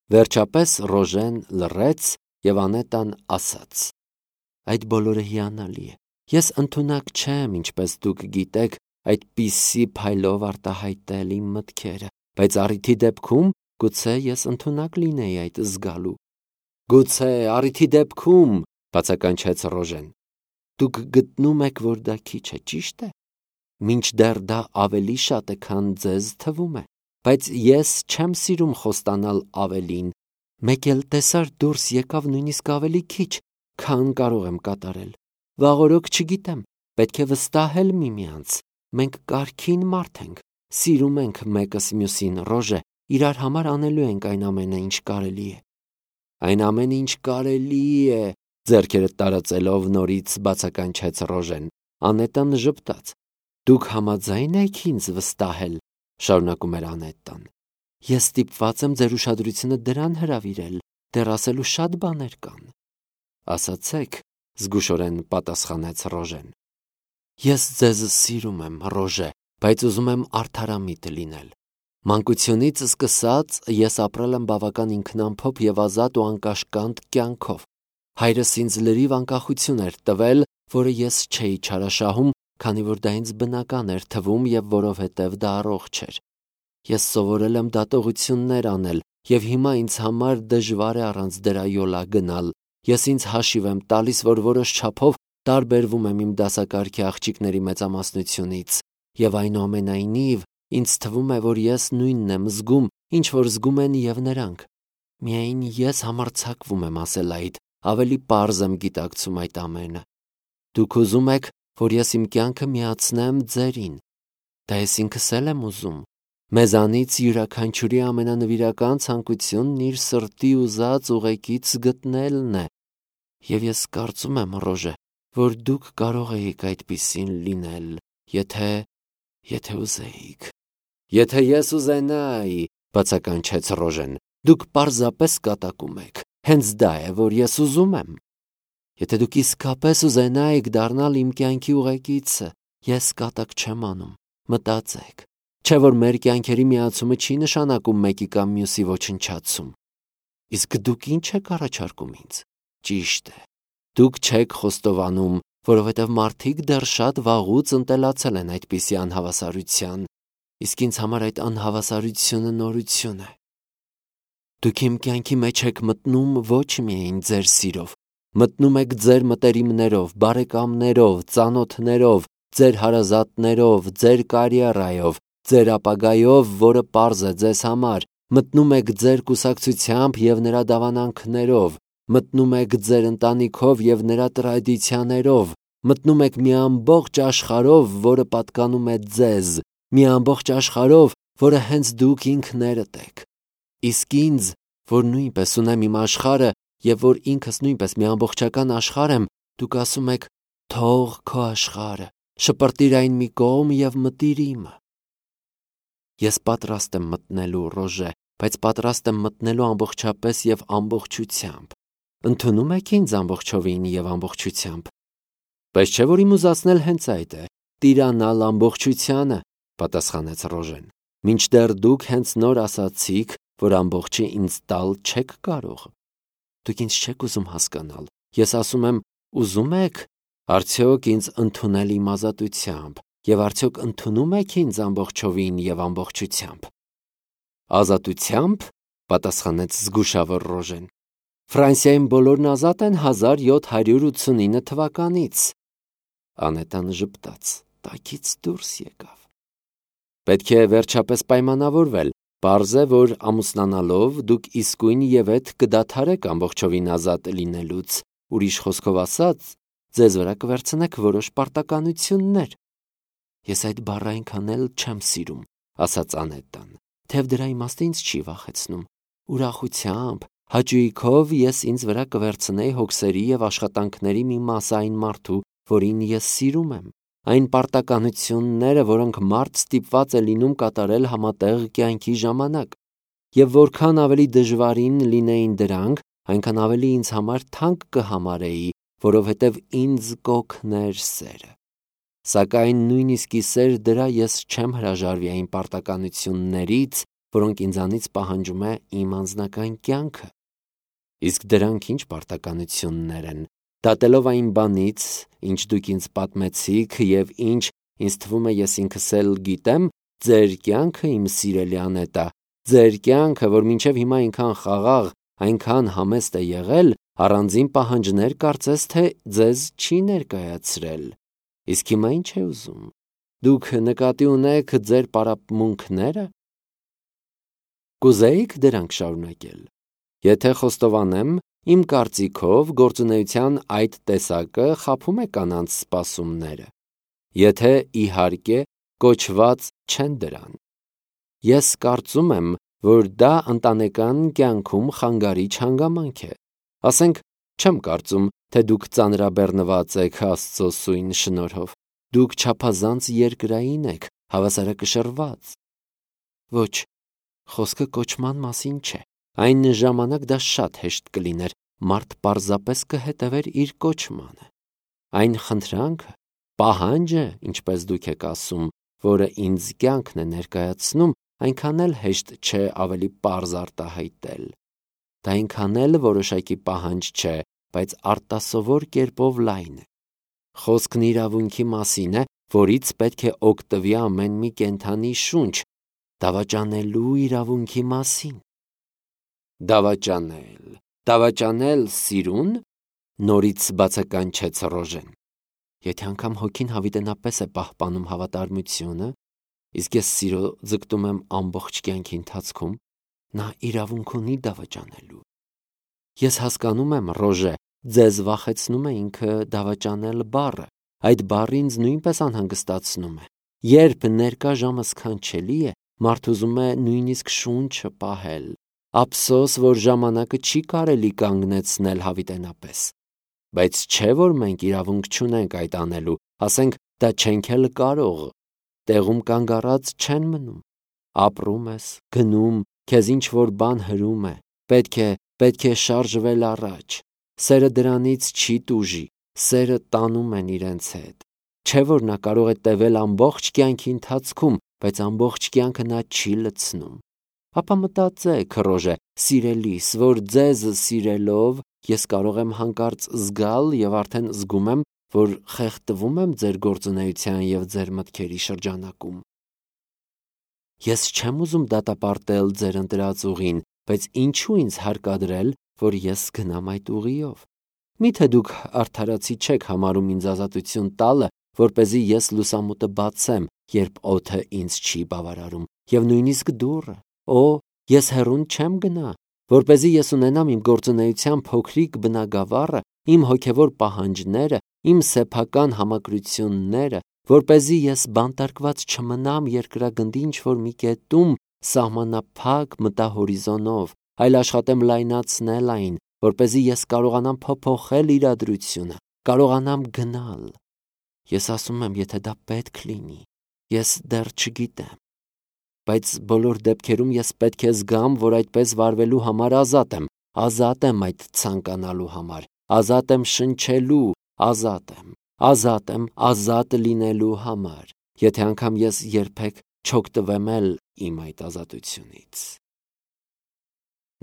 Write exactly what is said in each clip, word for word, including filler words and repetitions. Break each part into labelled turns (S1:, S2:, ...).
S1: Վերջապես Ռոժեն լռեց և Անետան ասաց. «Այդ բոլորը հիանալի է։ Ես ընդունակ չեմ, ինչպես դուք գիտեք, այդպիսի փայլով արտահայտել իմ մտքերը, բայց առիթի դեպքում գուցե ես ընդունակ լինեի այդ զգալու»։ «Գուցե առիթի դեպքում», բացականչեց Ռոժեն։ «Դուք գտնում եք, որ դա քիչ է, ճիշտ է։ Մինչդեռ դա ավելի շատ է, քան ձեզ թվում է, բայց ես չեմ սիրում խոստանալ ավելին։ Մեկ էլ տեսար դուրս եկավ նույնիսկ ավելի քիչ, քան կարող եմ կատարել։ Վաղօրոք չգիտեմ, պետք է վստահել միմյանց։ Մենք կարգին մարդ ենք, սիրում ենք մեկս մյուսին, Ռոժե, իրար համար անելու ենք այն ամենը, ինչ կարելի է»։ «Այն ամենը, ինչ կարելի է», ձեռքերը տարածելով նորից բացականչեց Ռոժեն։ Անետան ժպտաց։ «Դուք համաձայն եք ինձ վստահել», շարունակում էր Անետան։ «Ես ստիպված եմ ձեր ուշադրությունը դրան հրավիրել, դեռ ասելու շատ բաներ կան»։ «Ասացեք», զգուշորեն պատասխանեց Ռոժեն։ «Ես ձեզ սիրում եմ, Ռոժե, բայց ուզում եմ արդարամիտ լինել։ Մանկությունից սկսած ես ապրել եմ բավական ինքնամփոփ և ազատ ու անկաշկանդ կյանքով։ Հայրս ինձ լրիվ անկախություն էր տվել, որը ես չէի չարաշահում, քանի որ դա ինձ բնական էր թվում և որովհետև դա առողջ էր։ Ես սովորել եմ դատողություններ անել, և հիմա ինձ համար դժվար է առանց դրա յոլա գնալ։ Ես ինձ հաշիվ եմ տալիս, որ որոշ չափով տարբերվում եմ իմ դասակարգի աղջիկների մեծամասնությունից, և այնուամենայնիվ ինձ թվում է, որ ես նույնն եմ զգում, ինչ որ զգում են և նրանք։ Միայն ես համարձակվում եմ ասել այդ, ավելի պարզ եմ գիտակցում այդ ամենը։ Դուք ուզում եք, որ ես իմ կյանքը միացնեմ ձերին։ Դա ես ինքս էլ եմ ուզում։ Մեզանից յուրաքանչյուրի ամենանվիրական ցանկությունն իր սրտի ուզած ուղեկից գտնելն է։ Եվ ես կարծում եմ, Ռոժե, որ դուք կարող էիք այդպիսին լինել, եթե… եթե ուզեիք։ «Եթե ես ուզենայի», բացականչեց Ռոժեն, «դուք պարզապես կատակում եք։ Հենց դա է, որ ես ուզում եմ։ Եթե դուք իսկապես ուզենայիք դառնալ իմ կյանքի ուղեկիցը, ես կատակ չեմ անում։ Մտածեք, չէ՞ որ մեր կյանքերի միացումը չի նշանակում մեկի կամ մյուսի ոչնչացում։ Իսկ դուք ի՞նչ եք առաջարկում ինձ։ Ճիշտ է, դուք չեք խոստովանում, որովհետև մարդիկ դեռ շատ վաղուց ընտելացել են այդպիսի անհավասարության, իսկ ինձ համար այդ անհավասարությունը նորություն է։ Դուք իմ կյանքի մեջ եք մտնում ոչ միայն ձեր սիրով, մտնում եք ձեր մտերիմներով, բարեկամներով, ծանոթներով, ձեր հարազատներով, ձեր կարիերայով, ձեր ապագայով, որը պարզ է ձեզ համար, մտնում եք ձեր կուսակցությամբ և նրա դավանանքներով, մտնում եք ձեր ընտանիքով և նրա տրադիցիաներով, մտնում եք մի ամբողջ աշխարհով, որը պատկանում է ձեզ, մի ամբողջ աշխարհով, որը հենց դուք ինքներդ եք։ Իսկ ինձ, որ նույնպես ունեմ իմ աշխարհը և որ ինքս նույնպես մի ամբողջական աշխարհ եմ, դուք ասում եք. «Թող քո աշխարհը, շպրտիր այն մի կողմ և մտիր իմը»։ Ես պատրաստ եմ մտնելու, Ռոժե, բայց պատրաստ եմ մտնելու ամբողջապես և ամբողջությամբ։ Ընդունում եք ինձ ամբողջովին և ամբողջությամբ։ Բայց չէ՞ որ իմ ուզածն էլ հենց այդ է՝ տիրանալ ամբողջությանը, պատասխանեց Ռոժեն։ Մինչդեռ դուք հենց նոր ասացիք, որ ամբողջը ինձ տալ չեք կարող։ Դուք ինձ չեք ուզում հասկանալ։ Ես ասում եմ, ուզում եք արդյոք ինձ ընդունել իմ ազատությամբ, և արդյոք ընդունում եք ինձ ամբողջովին և ամբողջությամբ։ Ազատությա՞մբ, պատասխանեց զգուշավոր Ռոժեն։ Ֆրանսիայում բոլորն ազատ են հազար յոթ հարյուր ութսունինը թվականից։ Անետան ժպտաց, տակից դուրս եկավ։ Պետք է վերջապես պայմանավորվել։ Պարզ է, որ ամուսնանալով դուք իսկույն և ետ կդադարեք ամբողջովին ազատ լինելուց, ուրիշ խոսքով ասած, ձեզ վրա կվերցնեք որոշ պարտականություններ։ Ես այդ բառը այնքան էլ չեմ սիրում, ասաց Անետան, թեև դրա իմաստը ինձ չի վախեցնում։ Ուրախությամբ, հաճույքով ես ինձ վրա կվերցնեի հոգսերի և աշխատանքների մի մասը այն մարդու, որին ես սիրում եմ, այն պարտականությունները, որոնք մարդ ստիպված է լինում կատարել համատեղ կյանքի ժամանակ, և որքան ավելի դժվարին լինեին դրանք, այնքան ավելի ինձ համար թանկ կհամարեի, որովհետև ինձ կօգներ սերը։ Սակայն նույնիսկ ի սեր դրա ես չեմ հրաժարվի այն պարտականություններից, որոնք ինձանից պահանջում է իմ անձնական կյանքը։ Իսկ դրանք ինչ պարտականություններ են, դատելով այն բանից, ինչ դուք ինձ պատմեցիք և ինչ ինձ թվում է ես ինքս էլ գիտեմ, ձեր կյանքը, իմ սիրելի Անետա, ձեր կյանքը, որ մինչև հիմա այնքան խաղաղ, այնքան համեստ է եղել, առանձին պահանջներ կարծես թե ձեզ չի ներկայացրել։ Իսկ հիմա ինչ է ուզում։ Դուք նկատի ունեք ձեր պարապմունքները։ Կուզեիք դրանք շարունակել։ Եթե խոստովանեմ, իմ կարծիքով գործունեության այդ տեսակը խաբում է կանանց սպասումները։ Եթե իհարկե կոչված չեն դրան։ Ես կարծում եմ, որ դա ընտանեկան կյանքում խանգարիչ հանգամանք է։ Ասենք, չեմ կարծում, թե դուք ծանրաբեռնված եք Աստծո սույն շնորհով։ Դուք չափազանց երկրային եք, հավասարակշռված։ Ոչ, խոսքը կոչման մասին չէ։ Այն ժամանակ դա շատ հեշտ կլիներ, մարդ պարզապես կհետևեր իր կոչմանը։ Այն խնդրանքը, պահանջը, ինչպես դուք եք ասում, որը ինձ կյանքն է ներկայացնում, այնքան էլ հեշտ չէ ավելի պարզ արտահայտել։ Դա այնքան էլ որոշակի պահանջ չէ, բայց արտասովոր կերպով լայն է։ Խոսքն իրավունքի մասին է, որից պետք է օգտվի ամեն մի կենդանի շունչ, դավաճանելու իրավունքի մասին։ Դավաճանել, դավաճանել սիրուն, նորից բացականչեց Ռոժեն։ Եթե անգամ հոգին հավիտենապես է պահպանում հավատարմությունը, իսկ ես սիրո ձգտում եմ ամբողջ կյանքի ընթացքում, նա իրավունք ունի դավաճանելու։ Ես հասկանում եմ, Ռոժե, ձեզ վախեցնում է ինքը դավաճանել բառը, այդ բառը ինձ նույնպես անհանգստացնում է։ Երբ ներկա ժամը սքանչելի է, մարդ ուզում է նույնիսկ շունչը պահել։ Ափսոս, որ ժամանակը չի կարելի կանգնեցնել հավիտենապես։ Բայց չէ, որ մենք իրավունք չունենք այդ անելու, ասենք դա չենք էլ կարող։ Տեղում կանգ առած չեն մնում։ Ապրում ես, գնում, քեզ ինչ-որ բան հրում է, պետք է, պետք է շարժվել առաջ։ Սերը դրանից չի տուժի, սերը տանում են իրենց հետ։ Չէ, որ նա կարող է տևել ամբողջ կյանքի ընթացքում, բայց ամբողջ կյանքը նա չի լցնում։ Ապա մտածեք, Ռոժե, սիրելիս, որ ձեզ սիրելով ես կարող եմ հանկարծ զգալ և արդեն զգում եմ, որ խեղդվում եմ ձեր գործունեության և ձեր մտքերի շրջանակում։ Ես չեմ ուզում դատապարտել ձեր ընտրած ուղին, բայց ինչու ինձ հարկադրել, որ ես գնամ այդ ուղիով։ Միթե դուք արդարացի չեք համարում ինձ ազատություն տալը, որպեսզի ես լուսամուտը բացեմ, երբ օդը ինձ չի բավարարում, և նույնիսկ դուռը։ Օ, ես հեռուն չեմ գնա, որպեսզի ես ունենամ իմ գործունեության փոքրիկ բնագավառը, իմ հոգևոր պահանջները, իմ սեփական համակրությունները, որպեսզի ես բանտարկված չմնամ երկրագնդի ինչ-որ մի կետում սահմանափակ մտահորիզոնով, այլ աշխատեմ լայնացնել այն, որպեսզի ես կարողանամ փոփոխել իրադրությունը, կարողանամ գնալ։ Ես ասում եմ, եթե դա պետք լինի, ես դեռ չգիտեմ։ Բայց բոլոր դեպքերում ես պետք է զգամ, որ այդպես վարվելու համար ազատ եմ, ազատ եմ այդ ցանկանալու համար, ազատ եմ շնչելու, ազատ եմ, ազատ եմ ազատ լինելու համար, եթե անգամ ես երբեք չօգտվեմ էլ իմ այդ ազատությունից։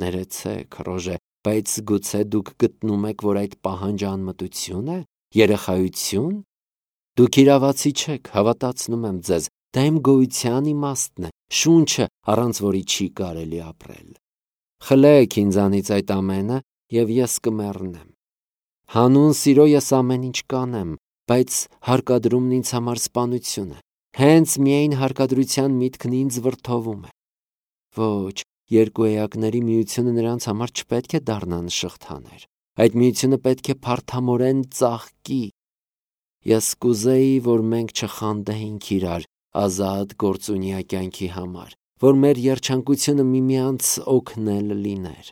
S1: Ներեցեք, Ռոժե, բայց գուցե դուք գտնում եք, որ այդ պահանջը անմտություն է, երեխայություն։ Դուք իրավացի չեք, հավատացնում եմ ձեզ, դա իմ գոյության իմաստն է, շունչը, առանց որի չի կարելի ապրել։ Խլեք ինձանից այդ ամենը, և ես կմեռնեմ։ Հանուն սիրո ես ամեն ինչ կանեմ, բայց հարկադրումն ինձ համար սպանություն է։ Հենց միայն հարկադրության միտքն ինձ վրդովում է։ Ոչ, երկու էակների միությունը նրանց համար չպետք է դառնա նշղթաներ։ Այդ միությունը պետք է փարթամորեն ծաղկի։ Ես կուզեի, որ մենք չխանդեինք իրար ազատ գործունյա կյանքի համար, որ մեր երջանկությունը միմյանց օգնել լիներ։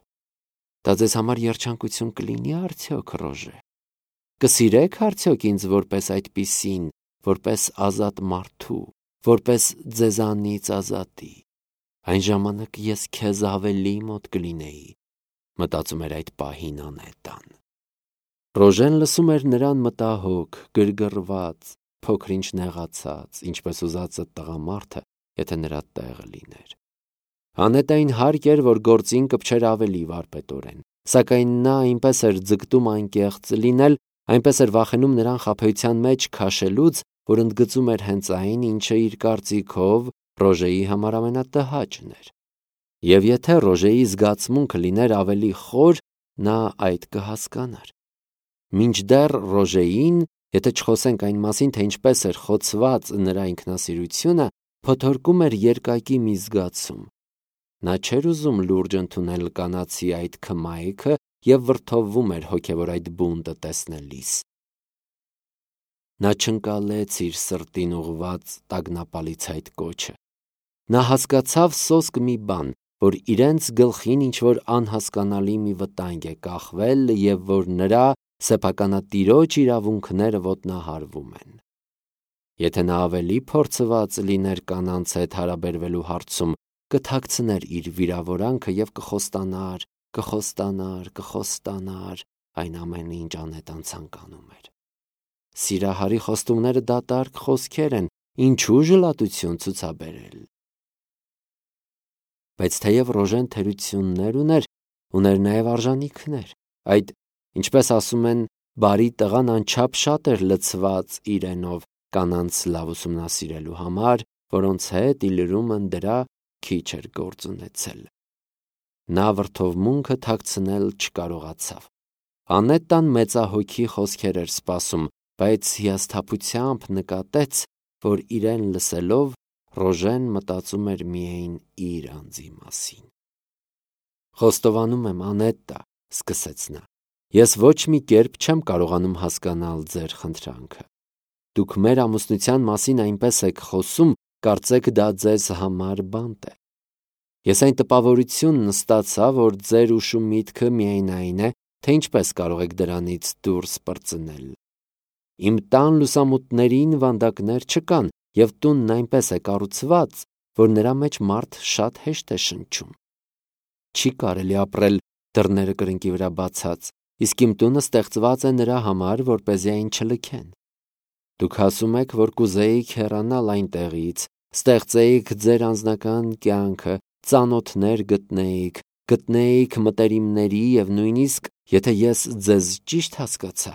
S1: Դա ձեզ համար երջանկություն կլինի արդյոք, Ռոժե։ Կսիրեք արդյոք ինձ որպես այդպիսին, որպես ազատ մարդու, որպես ձեզանից ազատի։ Այն ժամանակ ես քեզ ավելի մոտ կլինեի, մտածում էր այդ պահին Անետան։ Ռոժեն լսում էր նրան մտահոգ, գրգռված, փոքր-ինչ նեղացած, ինչպես ուզածը տղամարդը, եթե նրա տեղը լիներ։ Անետային հարկ էր, որ գործին կպչեր ավելի վարպետորեն, սակայն նա այնպես էր ձգտում անկեղծ լինել, այնպես էր վախենում նրան խաբեության մեջ քաշելուց, որ ընդգծում էր հենց այն, ինչը իր կարծիքով Ռոժեի համար ամենատհաճն էր։ Եվ եթե Ռոժեի զգացմունքը լիներ ավելի խոր, նա այդ կհասկանար։ Մինչդեռ Ռոժեին, եթե չխոսենք այն մասին, թե ինչպես էր խոցված նրա ինքնասիրությունը, փոթորկում էր երկակի մի զգացում։ Նա չէր ուզում լուրջ ընդունել կանացի այդ քմայքը և վրդովվում էր հոգևոր այդ բունտը տեսնելիս։ Նա չընկալեց իր սրտին ուղված տագնապալից այդ կոչը։ Նա հասկացավ սոսկ մի բան, որ իրենց գլխին ինչ-որ անհասկանալի մի վտանգ է կախվել և որ նրա սեփականատիրոջ իրավունքները ոտնահարվում են։ Եթե նա ավելի փորձված լիներ կանանց հետ հարաբերվելու հարցում, կթաքցներ իր վիրավորանքը և կխոստանար, կխոստանար, կխոստանար այն ամենը, ինչ Անետան ցանկանում էր։ Սիրահարի խոստումները դատարկ խոսքեր են, ինչու ժլատություն ցուցաբերել։ Բայց թեև Ռոժեն թերություններ ուներ, ուներ նաև արժանիքներ։ Այդ, ինչպես ասում են, բարի տղան անչափ շատ էր լցված իրենով կանանց լավ ուսումնասիրելու համար, որոնց հետ իլրումն դրա քիչ էր գործ ունեցել։ Նա վրդովմունքը թաքցնել չկարողացավ։ Անետան մեծահոգի խոսքեր էր սպասում, բայց հիասթափությամբ նկատեց, որ իրեն լսելով Ռոժեն մտածում էր միայն իր անձի մասին։ «Խոստովանում եմ, Անետտա», սկսեց նա, «ես ոչ մի կերպ չեմ կարողանում հասկանալ ձեր խնդրանքը։ Դուք մեր ամուսնության մասին այնպես եք խոսում, կարծեք դա ձեզ համար բանտ է։ Ես այն տպավորությունն ստացա, որ ձեր ուշու միտքը միայն այն է, թե ինչպես կարող եք դրանից դուրս պրծնել։ Իմ տան լուսամուտներին վանդակներ չկան, և տունն այնպես է կառուցված, որ նրա մեջ մարդ շատ հեշտ է շնչում։ Չի կարելի ապրել դռները կրկնակի վրա բացած, իսկ իմ տունը ստեղծված է նրա համար, որպեսզի այն չլքեն։ Դուք ասում եք, որ կուզեիք հեռանալ այնտեղից, ստեղծեիք ձեր անձնական կյանքը, ծանոթներ գտնեիք, գտնեիք մտերիմների և նույնիսկ, եթե ես ձեզ ճիշտ հասկացա,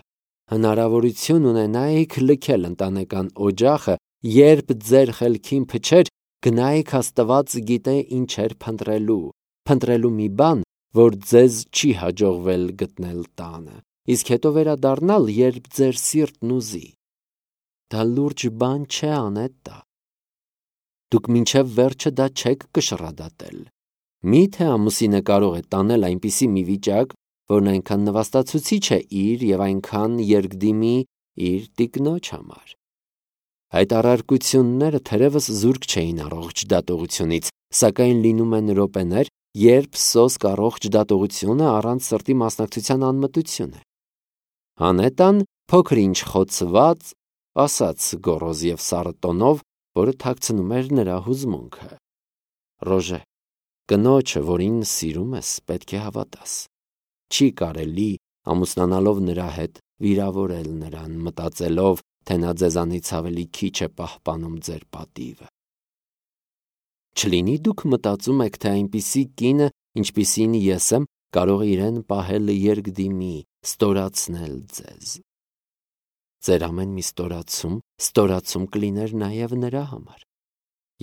S1: հնարավորություն ունենայիք լքել ընտանեկան օջախը, երբ ձեր խելքին փչեր, գնայիք Աստված գիտե ինչեր փնտրելու, փնտրելու մի բան, որ ձեզ չի հաջողվել գտնել տանը, իսկ հետո վերադառնալ, երբ ձեր սիրտն ուզի։ Դա լուրջ բան չէ, Անետտա։ Դուք մինչև վերջը դա չեք կշռադատել։ Մի՞թե ամուսինը կարող է տանել այնպիսի մի վիճակ, որն այնքան նվաստացուցիչ է իր և այնքան երկդիմի իր տիկնոջ համար։ Այդ առարկությունները թերևս զուրկ չէին առողջ դատողությունից, սակայն լինում են րոպեներ, երբ սոսկ առողջ դատողությունը առանց սրտի մասնակցության անմտություն է։ Անետան փոքր-ինչ խոցված ասաց գոռոզ և սառը տոնով, որը թաքցնում էր նրա հուզմունքը. Ռոժե, կնոջը, որին սիրում ես, պետք է հավատաս։ Չի կարելի ամուսնանալով նրա հետ վիրավորել նրան, մտածելով, թե նա ձեզանից ավելի քիչ է պահպանում ձեր պատիվը։ Չլինի դուք մտածում եք, թե այնպիսի կինը, ինչպիսին ես եմ, կարող է իրեն պահել երկդիմի, ստորացնել ձեզ։ Ձեր ամեն մի ստորացում, ստորացում կլիներ նաև նրա համար։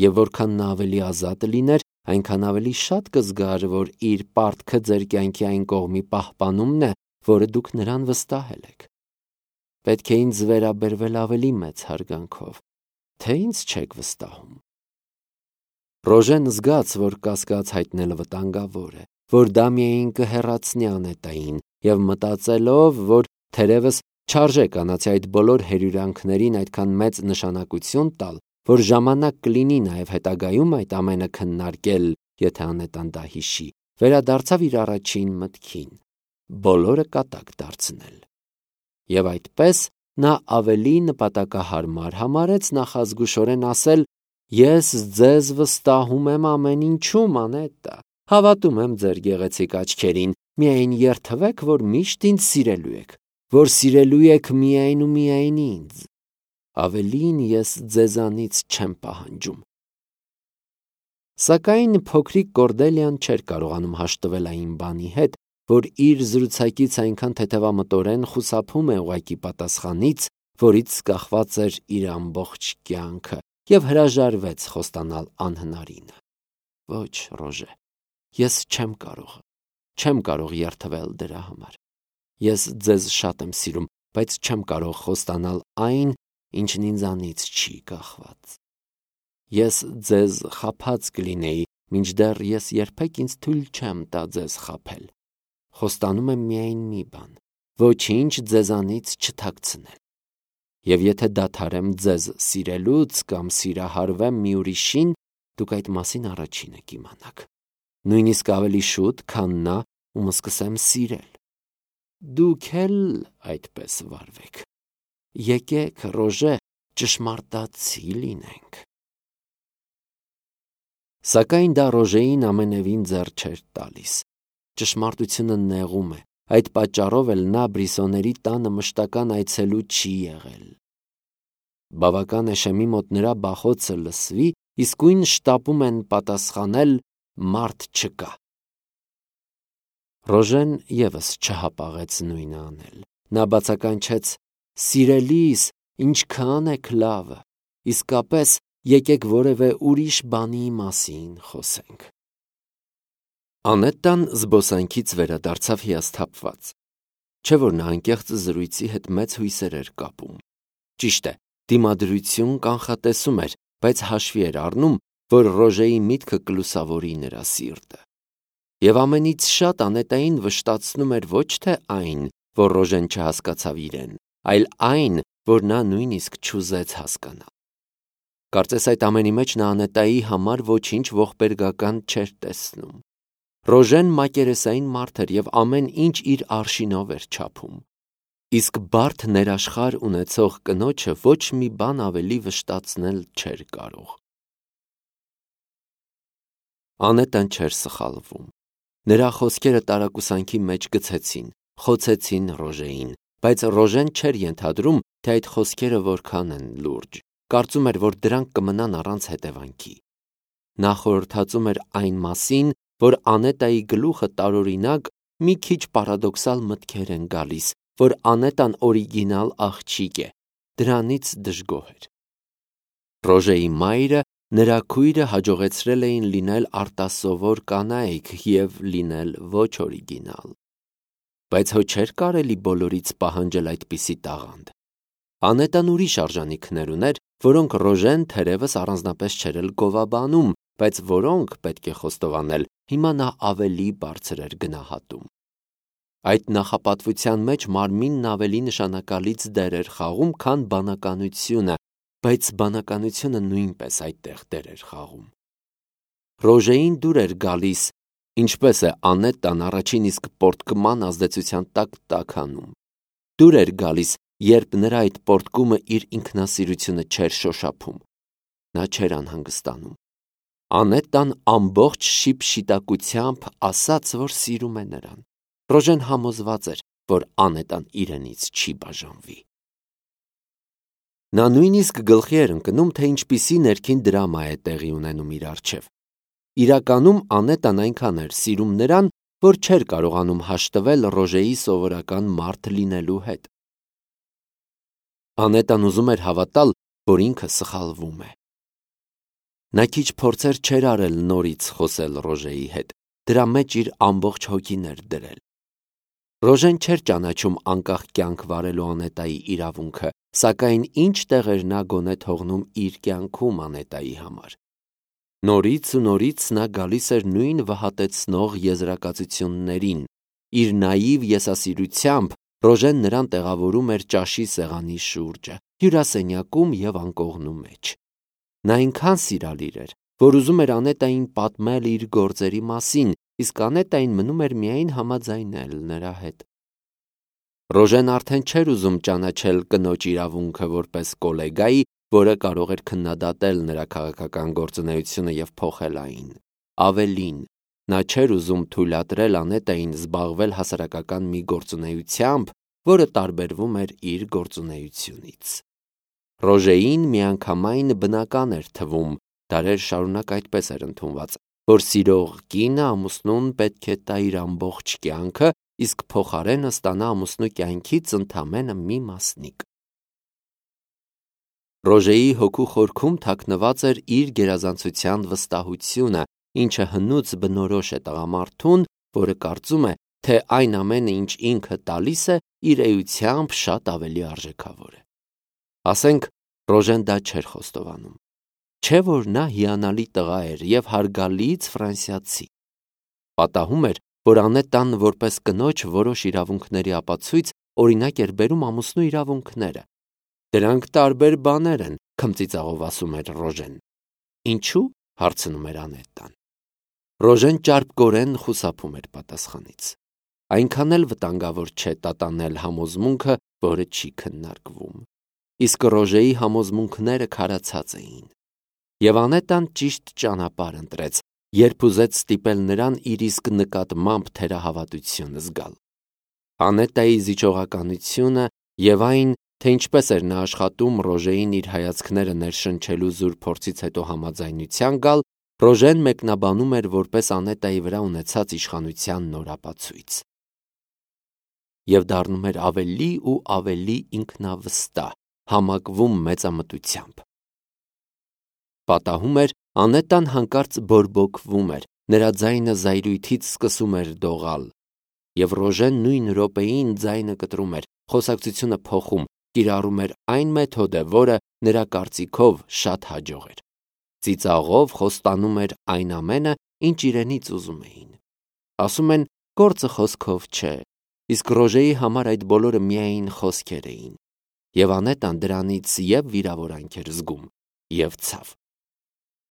S1: Եվ որքան նա ավելի ազատ լիներ, այնքան ավելի շատ կզգար, որ իր պարտքը ձեր կյանքի այն կողմի պահպանումն է, որը դուք նրան վստահել եք։ Պետք է ինձ վերաբերվել ավելի մեծ հարգանքով, թե ինձ չեք վստահում։ Ռոժեն զգաց, որ կասկած հայտնելը վտանգավոր է, որ դա միայն կհեռացնի Անետային, և մտածելով, որ թերևս չարժե կանացի այդ բոլոր հերյուրանքներին այդքան մեծ նշանակություն տալ, որ ժամանակ կլինի նաև հետագայում այդ ամենը քննարկել, եթե Անետան դա հիշի, վերադարձավ իր առաջին մտքին՝ բոլորը կատակ դարձնել։ Եվ այդպես նա ավելի նպատակահարմար համարեց նախազգուշորեն ասել. «Ես ձեզ վստահում եմ ամեն ինչում, Անետտա, հավատում եմ ձեր գեղեցիկ աչքերին, միայն երդվեք, որ միշտ ինձ սիրելու եք, որ սիրելու եք միայն ու միայն ինձ։ Ավելին ես ձեզանից չեմ պահանջում»։ Սակայն փոքրիկ Կորդելիան չէր կարողանում հաշտվել այն բանի հետ, որ իր զրուցակից այնքան թեթևամտորեն խուսափում է ուղղակի պատասխանից, որից կախված էր իր ամբողջ կյանքը, և հրաժարվեց խոստանալ անհնարինը։ Ոչ, Ռոժե, ես չեմ կարող, չեմ կարող երդվել դրա համար։ Ես ձեզ շատ եմ սիրում, բայց չեմ կարող խոստանալ այն, ինչն ինձանից չի կախված։ Ես ձեզ խաբած կլինեի, մինչդեռ ես երբեք ինձ թույլ չեմ տա ձեզ խաբել։ Խոստանում եմ միայն մի բան, ոչինչ ձեզանից չթաքցնել։ Եվ եթե դադարեմ ձեզ սիրելուց կամ սիրահարվեմ մի ուրիշին, դուք այդ մասին առաջինը կիմանաք, նույնիսկ ավելի շուտ, քան նա, ում սկսեմ սիրել։ Դուք էլ այդպես վարվեք։ Եկեք, Ռոժե, ճշմարտացի լինենք։ Սակայն դա Ռոժեին ամենևին ձեռ չէր տալիս։ Ճշմարտությունը նեղում է, այդ պատճառով էլ նա Բրիսոների տանը մշտական այցելու չի եղել։ Բավական է Շեմի մոտ նրա բախոցը լսվի, իսկույն շտապում են պատասխանել «մարդ չկա»։ Ռոժեն ևս չհապաղեց նույնը անել։ Նա բացականչեց. «Սիրելիս, ինչքան եք լավը, իսկապես եկեք որևէ ուրիշ բանի մասին խոսենք»։ Անետտան զբոսանքից վերադարձավ հիասթափված։ Չէ՞ որ նա անկեղծ զրույցի հետ մեծ հույսեր էր կապում։ Ճիշտ է, դիմադրություն կանխատեսում էր, բայց հաշվի էր առնում, որ Ռոժեի միտքը կլուսավորի նրա սիրտը։ Եվ ամենից շատ Անետային վշտացնում էր ոչ թե այն, որ Ռոժեն չհասկացավ իրեն, այլ այն, որ նա նույնիսկ չուզեց հասկանալ։ Կարծես այդ ամենի մեջ նա Անետայի համար ոչինչ ողբերգական չէր տեսնում։ Ռոժեն մակերեսային մարդ էր և ամեն ինչ իր արշինով էր չափում։ Իսկ բարդ ներաշխար ունեցող կնոջը ոչ մի բան ավելի վշտացնել չէր կարող։ Անետան չէր սխալվում։ Նրա խոսքերը տարակուսանքի մեջ գցեցին, խոցեցին Ռոժեին, բայց Ռոժեն չէր ենթադրում, թե այդ խոսքերը որքան են լուրջ, կարծում էր, որ դրանք կմնան առանց հետևանքի։ Նա խորհրդածում էր այն մասին, որ Անետայի գլուխը տարօրինակ, մի քիչ պարադոքսալ մտքեր են գալիս, որ Անետան օրիգինալ աղջիկ է, դրանից դժգոհ էր։ Ռոժեի մայրը, նրա քույրը հաջողեցրել էին լինել արտասովոր կանայք և լինել ոչ օրիգինալ։ Բայց հո չէր կարելի բոլորից պահանջել այդպիսի տաղանդ։ Անետան ուրիշ արժանիքներ ուներ, որոնք Ռոժեն թերևս առանձնապես չէր էլ գովաբանում, բայց որոնք, պետք է խոստովանել, հիմա նա ավելի բարձր էր գնահատում։ Այդ նախապատվության մեջ մարմինն ավելի նշանակալից դեր էր խաղում, քան բանականությունը, բայց բանականությունը նույնպես այդտեղ դեր էր խաղում։ Ռոժեին դուր էր գալիս, ինչպես է Անետան առաջին իսկ պոռթկման ազդեցության տակ տաքանում։ Դուր էր գալիս, երբ նրա այդ պոռթկումը իր ինքնասիրությունը չէր շոշափում։ Նա չէր անհանգստանում։ Անետան ամբողջ շիպշիտակությամբ ասաց, որ սիրում է նրան։ Ռոժեն համոզված էր, որ Անետան իրենից չի բաժանվի։ Նա նույնիսկ գլխի էր ընկնում, թե ինչպիսի ներքին դրամա է տեղի ունենում իր առջև։ Իրականում Անետան այնքան էր սիրում նրան, որ չէր կարողանում հաշտվել Ռոժեի սովորական մարդ լինելու հետ։ Անետան ուզում էր հավատալ, որ ինքը սխալվում է։ Նա քիչ փորձեր չէր արել նորից խոսել Ռոժեի հետ, դրա մեջ իր ամբողջ հոգին էր դրել։ Ռոժեն չէր ճանաչում անկախ կյանք վարելու Անետայի իրավունքը, սակայն ինչ տեղ էր նա գոնե թողնում իր կյանքում Անետայի համար։ Նորից ու նորից նա գալիս էր նույն վհատեցնող եզրակացություններին։ Իր նաիվ եսասիրությամբ Ռոժեն նրան տեղավորում էր ճաշի սեղանի շուրջը, հյուրասենյակում և անկողնու մեջ։ Նա այնքան սիրալիր էր, որ ուզում էր Անետային պատմել իր գործերի մասին, իսկ Անետային մնում էր միայն համաձայնել նրա հետ։ Ռոժեն արդեն չէր ուզում ճանաչել կնոջ իրավունքը որպես կոլեգայի, որը կարող էր քննադատել նրա քաղաքական գործունեությունը և փոխել այն։ Ավելին, նա չէր ուզում թույլատրել Անետային զբաղվել հասարակական մի գործունեությամբ, որը տարբերվում էր իր գործունեությունից։ Ռոժեին միանգամայն բնական էր թվում, Դարեր շարունակ այդպես էր ընդունված, որ սիրող կինը ամուսնուն պետք է տա իր ամբողջ կյանքը, իսկ փոխարենը ստանա ամուսնու կյանքից ընդամենը մի մասնիկ։ Ռոժեի հոգու խորքում թաքնված էր իր գերազանցության վստահությունը, ինչը հնուց բնորոշ է տղամարդուն, որը կարծում է, թե այն ամենը, ինչ ինքը տալիս է, իր էությամբ շատ ավելի արժեքավոր է։ Ասենք, Ռոժեն դա չէր խոստովանում։ Չէ՞ որ նա հիանալի տղա էր և հարգալից ֆրանսիացի։ Պատահում էր, որ Անետան որպես կնոջ որոշ իրավունքների ապացույց օրինակ էր բերում ամուսնու իրավունքները։ Դրանք տարբեր բաներ են, քմծիծաղով ասում էր Ռոժեն։ Ինչու՞, հարցնում էր Անետան։ Ռոժեն ճարպկորեն խուսափում էր պատասխանից։ Այնքան էլ վտանգավոր չէ տատանել համոզմունքը, որը չի քննարկվում։ Իսկ Ռոժեի համոզմունքները քարացած էին։ Եվ Անետան ճիշտ ճանապարհ ընտրեց, երբ ուզեց ստիպել նրան իր իսկ նկատմամբ թերահավատություն զգալ։ Անետայի զիջողականությունը և այն, թե ինչպես էր նա աշխատում Ռոժեին իր հայացքները ներշնչելու զուր փորձից հետո համաձայնության գալ, Ռոժեն մեկնաբանում էր որպես Անետայի վրա ունեցած իշխանության նոր ապացույց։ Եվ դառնում էր ավելի ու ավելի ինքնավստահ, համակվում մեծամտությամբ։ Պատահում էր, Անետան հանկարծ բորբոքվում էր, նրա ձայնը զայրույթից սկսում էր դողալ, և Ռոժեն նույն րոպեին ձայնը կտրում էր, խոսակցությունը փոխում, կիրառում էր այն մեթոդը, որը նրա կարծիքով շատ հաջող էր։ Ծիծաղով խոստանում էր այն ամենը, ինչ իրենից ուզում էին։ Ասում են, գործը խոսքով չէ, իսկ Ռոժեի համար այդ բոլորը միայն խոսքեր էին, և Անետան դրանից և՛ վիրավորանք էր զգում, և՛ ցավ։